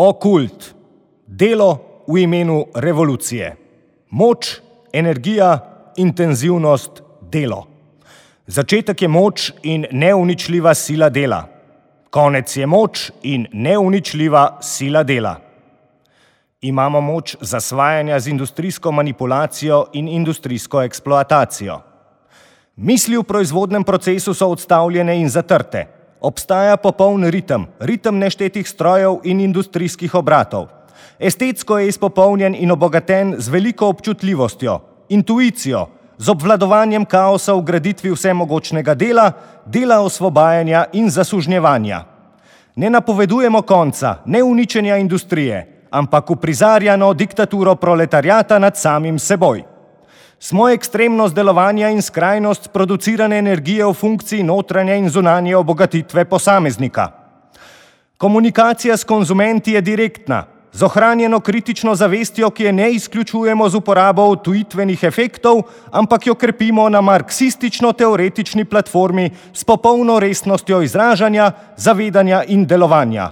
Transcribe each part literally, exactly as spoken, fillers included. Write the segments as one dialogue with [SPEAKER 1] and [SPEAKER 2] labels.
[SPEAKER 1] Okult. Delo v imenu revolucije. Moč, energija, intenzivnost, delo. Začetek je moč in neuničljiva sila dela. Konec je moč in neuničljiva sila dela. Imamo moč zasvajanja z industrijsko manipulacijo in industrijsko eksploatacijo. Misli v proizvodnem procesu so odstavljene in zatrte. Obstaja popoln ritem, ritem neštetih strojev in industrijskih obratov. Estetsko je izpopolnjen in obogaten z veliko občutljivostjo, intuicijo, z obvladovanjem kaosa v graditvi vsemogočnega dela, dela osvobajanja in zasužnjevanja. Ne napovedujemo konca, ne uničenja industrije, ampak uprizarjano diktaturo proletariata nad samim seboj. Smo ekstremnost delovanja in skrajnost producirane energije v funkciji notranje in zunanje obogatitve posameznika. Komunikacija s konzumenti je direktna, z ohranjeno kritično zavestjo, ki je ne izključujemo z uporabo utujitvenih efektov, ampak jo krepimo na marksistično-teoretični platformi s popolno resnostjo izražanja, zavedanja in delovanja.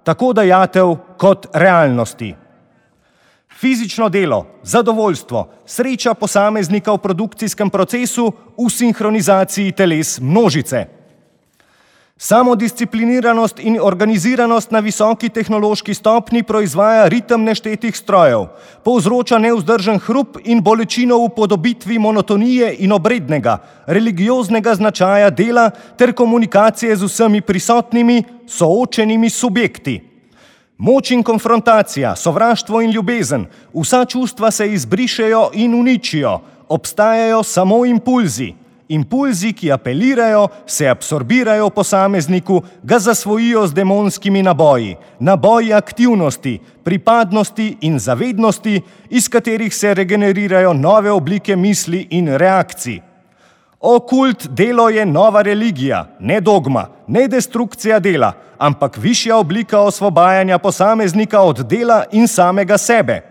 [SPEAKER 1] Tako dajatev kot realnosti. Fizično delo, zadovoljstvo, sreča posameznika v produkcijskem procesu v sinhronizaciji teles množice. Samodiscipliniranost in organiziranost na visoki tehnološki stopnji proizvaja ritem neštetih strojev, povzroča nevzdržen hrup in bolečino v podobitvi monotonije in obrednega, religioznega značaja dela ter komunikacije z vsemi prisotnimi, soočenimi subjekti. Moč in konfrontacija, sovraštvo in ljubezen, vsa čustva se izbrišejo in uničijo, obstajajo samo impulzi. Impulzi, ki apelirajo, se absorbirajo v posamezniku, ga zasvojijo z demonskimi naboji, naboji aktivnosti, pripadnosti in zavednosti, iz katerih se regenerirajo nove oblike misli in reakcij. Okult delo je nova religija, ne dogma, ne destrukcija dela, ampak višja oblika osvobajanja posameznika od dela in samega sebe.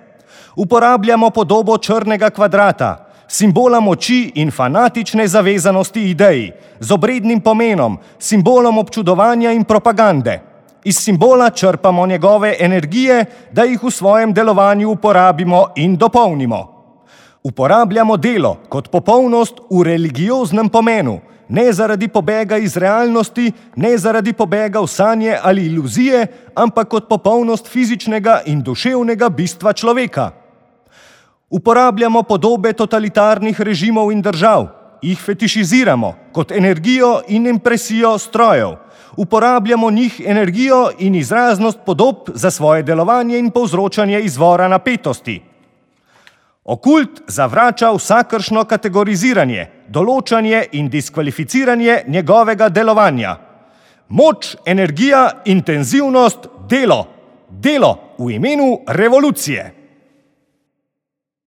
[SPEAKER 1] Uporabljamo podobo črnega kvadrata, simbola moči in fanatične zavezanosti ideji, z obrednim pomenom, simbolom občudovanja in propagande. Iz simbola črpamo njegove energije, da jih v svojem delovanju uporabimo in dopolnimo. Uporabljamo delo kot popolnost v religioznem pomenu, ne zaradi pobega iz realnosti, ne zaradi pobega v sanje ali iluzije, ampak kot popolnost fizičnega in duševnega bistva človeka. Uporabljamo podobe totalitarnih režimov in držav, jih fetišiziramo kot energijo in impresijo strojev. Uporabljamo njih energijo in izraznost podob za svoje delovanje in povzročanje izvora napetosti. Okult zavrača vsakršno kategoriziranje, določanje in diskvalificiranje njegovega delovanja. Moč, energija, intenzivnost, delo. Delo v imenu revolucije.